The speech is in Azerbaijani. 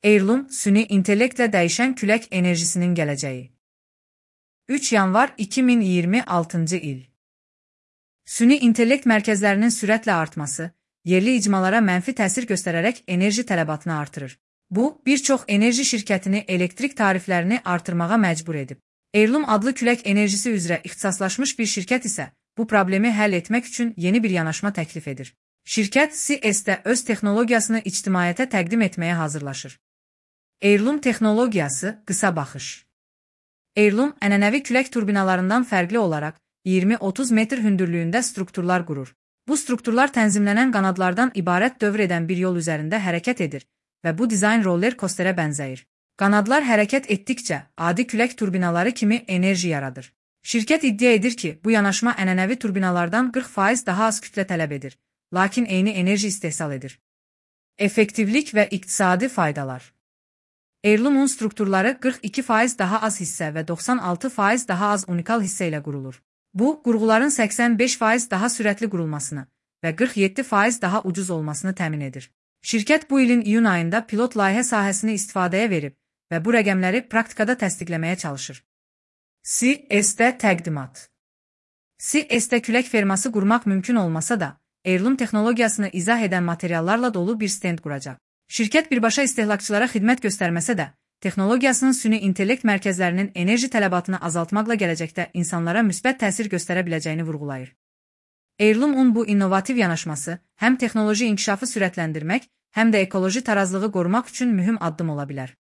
Heirloom, süni intellektlə dəyişən külək enerjisinin gələcəyi. 3 yanvar 2026-cı il. Süni intellekt mərkəzlərinin sürətlə artması, yerli icmalara mənfi təsir göstərərək enerji tələbatını artırır. Bu, bir çox enerji şirkətini elektrik tariflərini artırmağa məcbur edib. Heirloom adlı külək enerjisi üzrə ixtisaslaşmış bir şirkət isə bu problemi həll etmək üçün yeni bir yanaşma təklif edir. Şirkət CES-də öz texnologiyasını ictimaiyyətə təqdim etməyə hazırlaşır. Heirloom texnologiyası qısa baxış. Heirloom ənənəvi külək turbinalarından fərqli olaraq 20-30 metr hündürlüyündə strukturlar qurur. Bu strukturlar tənzimlənən qanadlardan ibarət dövr edən bir yol üzərində hərəkət edir və bu dizayn roller coasterə bənzəyir. Qanadlar hərəkət etdikcə adi külək turbinaları kimi enerji yaradır. Şirkət iddia edir ki, bu yanaşma ənənəvi turbinalardan 40% daha az kütlə tələb edir, lakin eyni enerji istehsal edir. Effektivlik və iqtisadi faydalar. Heirloom'un strukturları 42% daha az hissə və 96% daha az unikal hissə ilə qurulur. Bu, qurğuların 85% daha sürətli qurulmasını və 47% daha ucuz olmasını təmin edir. Şirkət bu ilin iyun ayında pilot layihə sahəsini istifadəyə verib və bu rəqəmləri praktikada təsdiqləməyə çalışır. CES-də təqdimat. CES-də külək ferması qurmaq mümkün olmasa da, Heirloom texnologiyasını izah edən materiallarla dolu bir stend quracaq. Şirkət birbaşa istehlakçılara xidmət göstərməsə də, texnologiyasının süni intellekt mərkəzlərinin enerji tələbatını azaltmaqla gələcəkdə insanlara müsbət təsir göstərə biləcəyini vurğulayır. Heirloom'un bu innovativ yanaşması həm texnoloji inkişafı sürətləndirmək, həm də ekoloji tarazlığı qorumaq üçün mühüm addım ola bilər.